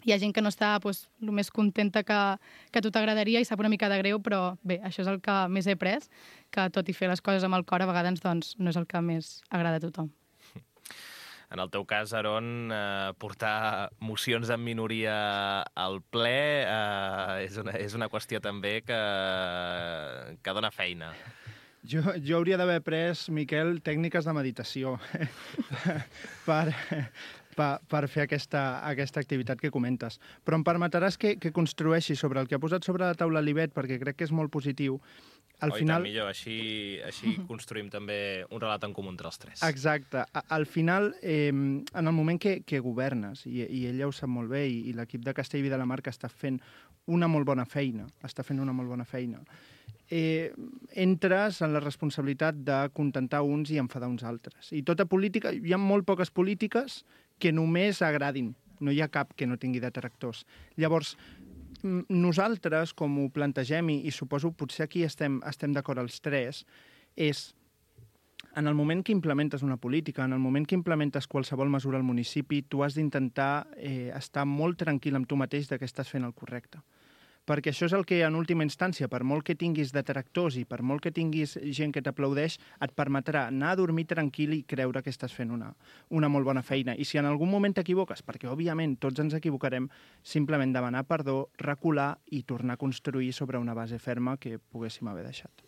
hi ha gent que no està el més contenta que a tu t'agradaria i sap una mica de greu, però bé, això és el que més he pres, que tot i fer les coses amb el cor a vegades no és el que més agrada a tothom. En el teu cas, Aron, portar mocions en minoria al ple és una qüestió també que dona feina. Jo hauria d'haver pres, Miquel, tècniques de meditació per fer aquesta activitat que comentes. Però em permetràs que construeixi sobre el que ha posat sobre la taula l'Ivet, perquè crec que és molt positiu. Al final... tant millor, així construïm també un relat en comú entre els tres. Exacte. Al final, en el moment que governes, i ella ho sap molt bé, i l'equip de Castellví de la Marca està fent una molt bona feina, entres en la responsabilitat de contentar uns i enfadar uns altres. I tota política, hi ha molt poques polítiques que només agradin. No hi ha cap que no tingui detractors. Llavors, nosaltres, com ho plantegem, i suposo potser aquí estem d'acord els tres, és en el moment que implementes una política, en el moment que implementes qualsevol mesura al municipi, tu has d'intentar estar molt tranquil amb tu mateix que estàs fent el correcte. Perquè això és el que, en última instància, per molt que tinguis detractors i per molt que tinguis gent que t'aplaudeix, et permetrà anar a dormir tranquil i creure que estàs fent una molt bona feina. I si en algun moment t'equivoques, perquè òbviament tots ens equivocarem, simplement demanar perdó, recular i tornar a construir sobre una base ferma que poguéssim haver deixat.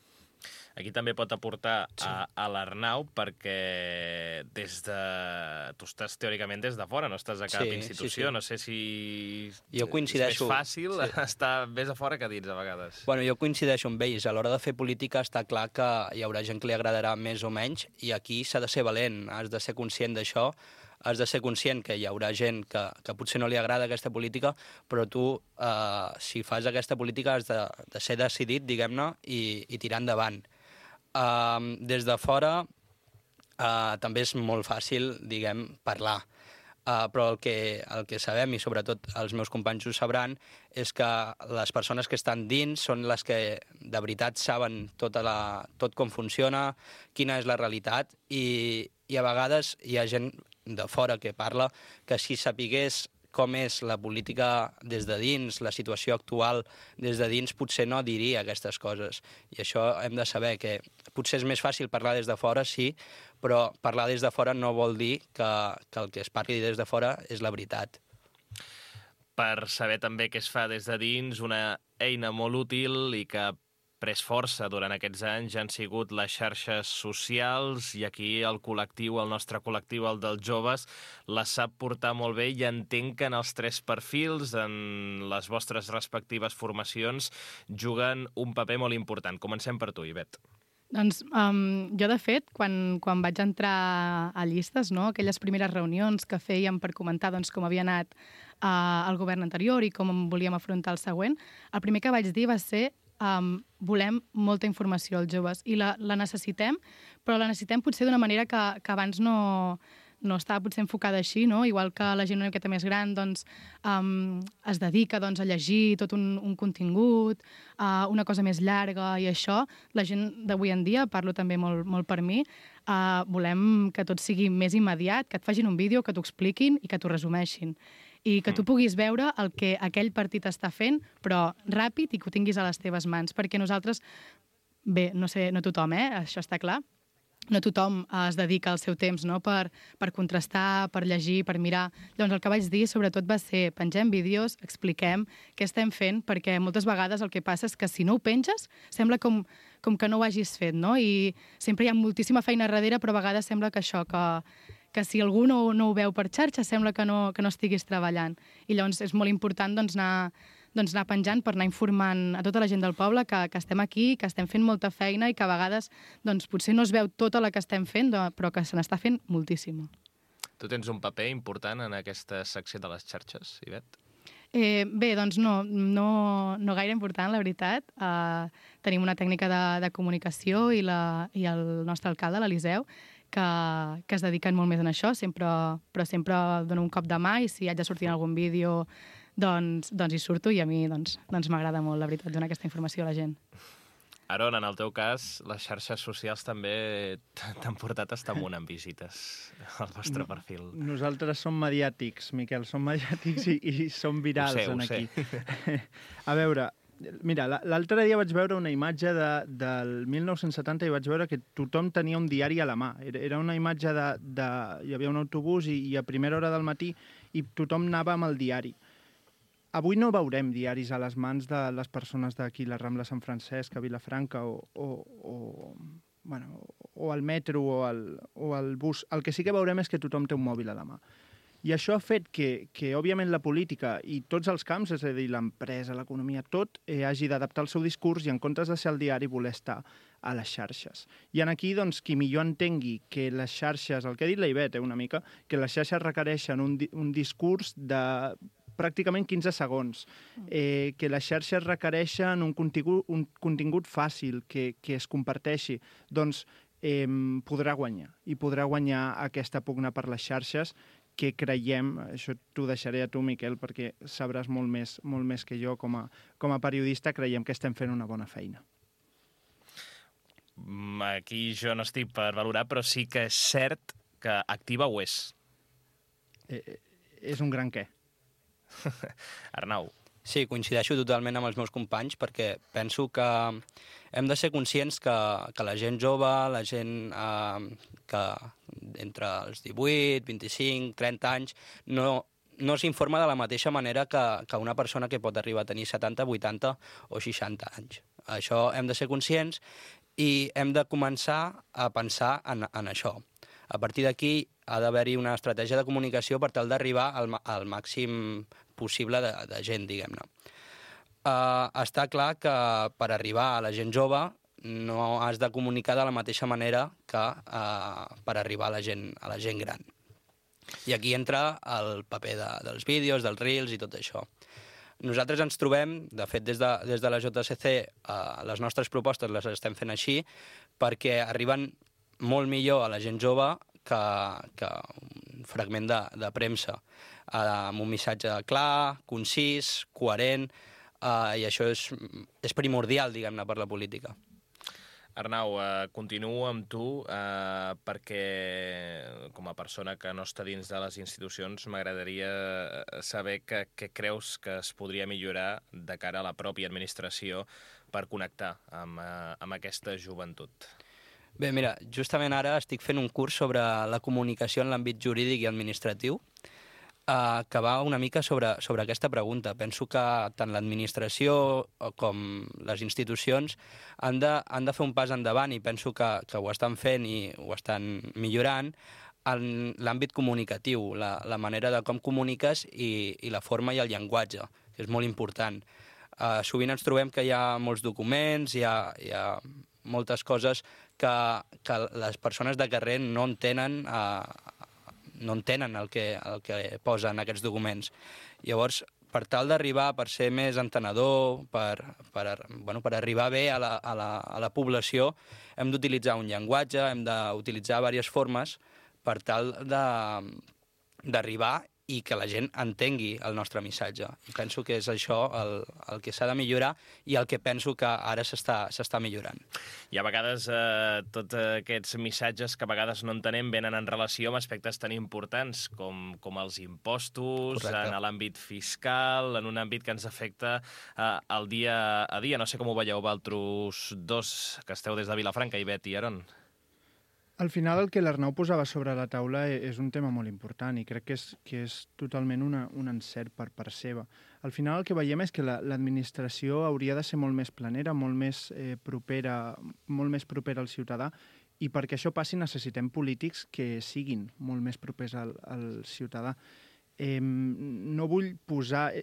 Aquí també pot aportar a l'Arnau, perquè tu estàs teòricament des de fora, no estàs a cap institució. No sé si jo coincideixo. És més fàcil estar més a fora que dins, a vegades. Bueno, jo coincideixo amb ells. A l'hora de fer política està clar que hi haurà gent que li agradarà més o menys, i aquí s'ha de ser valent, has de ser conscient d'això, has de ser conscient que hi haurà gent que potser no li agrada aquesta política, però tu, si fas aquesta política, has de ser decidit, diguem-ne, i tirar endavant. Des de fora també és molt fàcil, parlar. Però el que sabem, i sobretot els meus companys ho sabran, és que les persones que estan dins són les que de veritat saben tot com funciona, quina és la realitat, i a vegades hi ha gent de fora que parla que si sapigués com és la política des de dins, la situació actual des de dins, potser no diria aquestes coses. I això hem de saber que potser és més fàcil parlar des de fora, sí, però parlar des de fora no vol dir que el que es parli des de fora és la veritat. Per saber també què es fa des de dins, una eina molt útil i que pres força durant aquests anys han sigut les xarxes socials, i aquí el nostre col·lectiu, el dels joves, les sap portar molt bé, i entenc que en els tres perfils, en les vostres respectives formacions, juguen un paper molt important. Comencem per tu, Ivet. Doncs jo, de fet, quan vaig entrar a llistes, aquelles primeres reunions que fèiem per comentar com havia anat el govern anterior i com volíem afrontar el següent, el primer que vaig dir va ser volem molta informació als joves i la necessitem, però la necessitem potser d'una manera que abans no estava potser enfocada així, igual que la gent una miqueta més gran es dedica a llegir tot un contingut, una cosa més llarga, i això, la gent d'avui en dia, parlo també molt per mi, volem que tot sigui més immediat, que et facin un vídeo, que t'ho expliquin i que t'ho resumeixin. I que tu puguis veure el que aquell partit està fent, però ràpid, i que ho tinguis a les teves mans. Perquè nosaltres, bé, no sé, no tothom, això està clar, no tothom es dedica el seu temps per contrastar, per llegir, per mirar. Llavors el que vaig dir sobretot va ser pengem vídeos, expliquem què estem fent, perquè moltes vegades el que passa és que si no ho penges sembla com que no ho hagis fet, i sempre hi ha moltíssima feina darrere, però a vegades sembla que això, que si algú no ho veu per xarxa sembla que no estiguis treballant. I llavors és molt important anar penjant per anar informant a tota la gent del poble que estem aquí, que estem fent molta feina i que a vegades potser no es veu tota la que estem fent, però que se n'està fent moltíssima. Tu tens un paper important en aquesta secció de les xarxes, Ivet? Bé, doncs no gaire important, la veritat. Tenim una tècnica de comunicació i el nostre alcalde, l'Eliseu, que es dediquen molt més en això, però sempre dono un cop de mà i si haig de sortir en algun vídeo doncs hi surto i a mi doncs m'agrada molt, la veritat, donar aquesta informació a la gent. Aron, en el teu cas, les xarxes socials també t'han portat a estar amunt en visites al vostre perfil. Nosaltres som mediàtics, Miquel, som mediàtics i som virals aquí. A veure, mira, l'altre dia vaig veure una imatge del 1970 i vaig veure que tothom tenia un diari a la mà. Era una imatge hi havia un autobús i a primera hora del matí i tothom anava amb el diari. Avui no veurem diaris a les mans de les persones d'aquí, la Rambla Sant Francesc, a Vilafranca o al metro o al bus. El que sí que veurem és que tothom té un mòbil a la mà. I això ha fet que òbviament, la política i tots els camps, és a dir, l'empresa, l'economia, tot hagi d'adaptar el seu discurs i en comptes de ser al diari voler estar a les xarxes. I aquí, doncs, qui millor entengui que les xarxes, el que ha dit la Ivet una mica, que les xarxes requereixen un discurs de pràcticament 15 segons, que les xarxes requereixen un contingut fàcil, que es comparteixi, doncs podrà guanyar. I podrà guanyar aquesta pugna per les xarxes que creiem, això t'ho deixaré a tu, Miquel, perquè sabràs molt més que jo com a periodista, creiem que estem fent una bona feina. Aquí jo no estic per valorar, però sí que és cert que activa ho és. És un gran què. Arnau. Sí, coincideixo totalment amb els meus companys perquè penso que hem de ser conscients que la gent jove, la gent que entre els 18, 25, 30 anys, no s'informa de la mateixa manera que una persona que pot arribar a tenir 70, 80 o 60 anys. Això hem de ser conscients i hem de començar a pensar en això. A partir d'aquí ha d'haver-hi una estratègia de comunicació per tal d'arribar al màxim possible de gent, diguem-ne. Està clar que per arribar a la gent jove no has de comunicar de la mateixa manera que per arribar a la gent gran. I aquí entra el paper dels vídeos, dels reels i tot això. Nosaltres ens trobem, de fet, des de la JSC, les nostres propostes les estem fent així perquè arriben molt millor a la gent jove que un fragment de premsa, amb un missatge clar, concís, coherent, i això és primordial, diguem-ne, per la política. Arnau, continuo amb tu perquè, com a persona que no està dins de les institucions, m'agradaria saber què creus que es podria millorar de cara a la pròpia administració per connectar amb aquesta joventut. Bé, mira, justament ara estic fent un curs sobre la comunicació en l'àmbit jurídic i administratiu que va una mica sobre aquesta pregunta. Penso que tant l'administració com les institucions han de fer un pas endavant i penso que ho estan fent i ho estan millorant en l'àmbit comunicatiu, la manera de com comuniques i la forma i el llenguatge, que és molt important. Sovint ens trobem que hi ha molts documents, hi ha moltes coses que les persones de carrer no entenen el que posen aquests documents. Llavors, per tal d'arribar, per ser més entenedor, per arribar bé a la població, hem d'utilitzar un llenguatge, hem d'utilitzar diverses formes per tal d'arribar i que la gent entengui el nostre missatge. I penso que és això el que s'ha de millorar i el que penso que ara s'està millorant. I a vegades tots aquests missatges que a vegades no entenem venen en relació amb aspectes tan importants com els impostos, correcte, en l'àmbit fiscal, en un àmbit que ens afecta el dia a dia. No sé com ho veieu vosaltres dos, que esteu des de Vilafranca, Ivet i Aron. Al final el que l'Arnau posava sobre la taula és un tema molt important i crec que és totalment un encert per part seva. Al final el que veiem és que l'administració hauria de ser molt més planera, molt més propera al ciutadà, i perquè això passi necessitem polítics que siguin molt més propers al ciutadà. No vull posar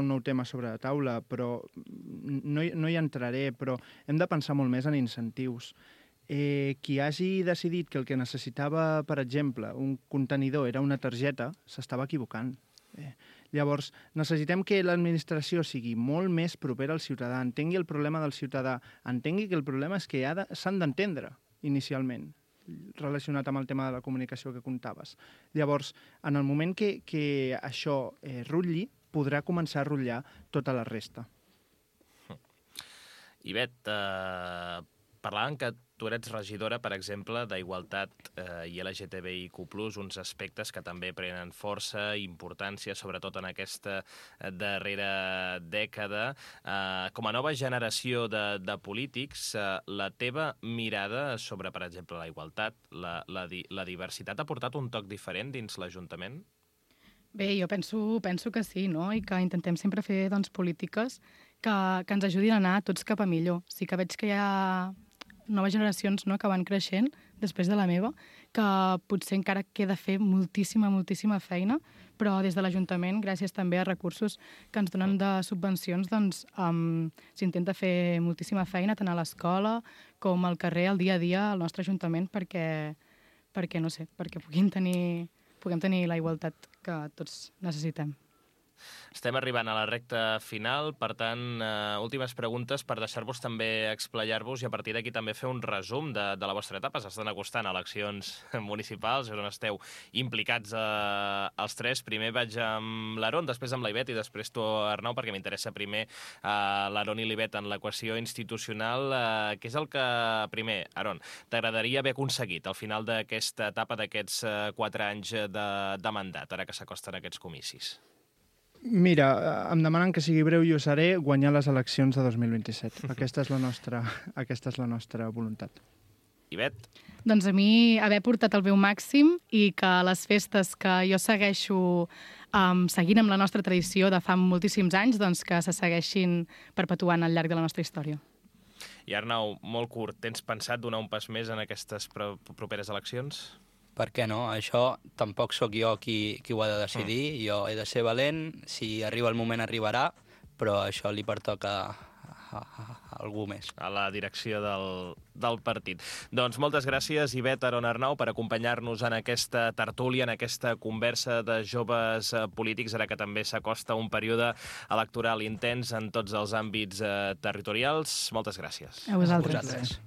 un nou tema sobre la taula, però no hi entraré, però hem de pensar molt més en incentius. qui hagi decidit que el que necessitava, per exemple, un contenidor era una targeta, s'estava equivocant. Llavors, necessitem que l'administració sigui molt més propera al ciutadà, entengui el problema del ciutadà, entengui que el problema és que s'han d'entendre inicialment, relacionat amb el tema de la comunicació que contaves. Llavors, en el moment que això rutlli, podrà començar a rutllar tota la resta. Ivet, parlàvem que tu eres regidora, per exemple, d'Igualtat i LGTBIQ+, uns aspectes que també prenen força i importància, sobretot en aquesta darrera dècada. Com a nova generació de polítics, la teva mirada sobre, per exemple, la igualtat, la diversitat, ha portat un toc diferent dins l'Ajuntament? Bé, jo penso que sí, no? I que intentem sempre fer polítiques que ens ajudin a anar tots cap a millor. Sí que veig que hi ha noves generacions, no?, que van creixent després de la meva, que potser encara queda fer moltíssima feina, però des de l'Ajuntament, gràcies també a recursos que ens donen de subvencions, doncs s'intenta fer moltíssima feina tant a l'escola com al carrer, al dia a dia, al nostre Ajuntament, perquè puguem tenir la igualtat que tots necessitem. Estem arribant a la recta final, per tant, últimes preguntes per deixar-vos també explayar-vos i a partir d'aquí també fer un resum de la vostra etapa. S'estan acostant eleccions municipals, on esteu implicats els tres. Primer vaig amb l'Aaron, després amb l'Ivet i després tu, Arnau, perquè m'interessa primer l'Aaron i l'Ivet en l'equació institucional. Què és el que, primer, Aaron, t'agradaria haver aconseguit al final d'aquesta etapa, d'aquests 4 anys de mandat, ara que s'acosten aquests comicis? Mira, em demanen que sigui breu i ho seré, guanyar les eleccions de 2027. Aquesta és la nostra voluntat. Ivet? Doncs a mi haver portat el meu màxim i que les festes que jo segueixo seguint amb la nostra tradició de fa moltíssims anys, doncs que se segueixin perpetuant al llarg de la nostra història. I Arnau, molt curt, tens pensat donar un pas més en aquestes properes eleccions? Per què no? Això tampoc sóc jo qui ho ha de decidir. Jo he de ser valent, si arriba el moment arribarà, però això li pertoca a algú més. A la direcció del partit. Doncs moltes gràcies, Ivet, Aaron, Arnau, per acompanyar-nos en aquesta tertúlia, en aquesta conversa de joves polítics, ara que també s'acosta un període electoral intens en tots els àmbits territorials. Moltes gràcies. A vosaltres.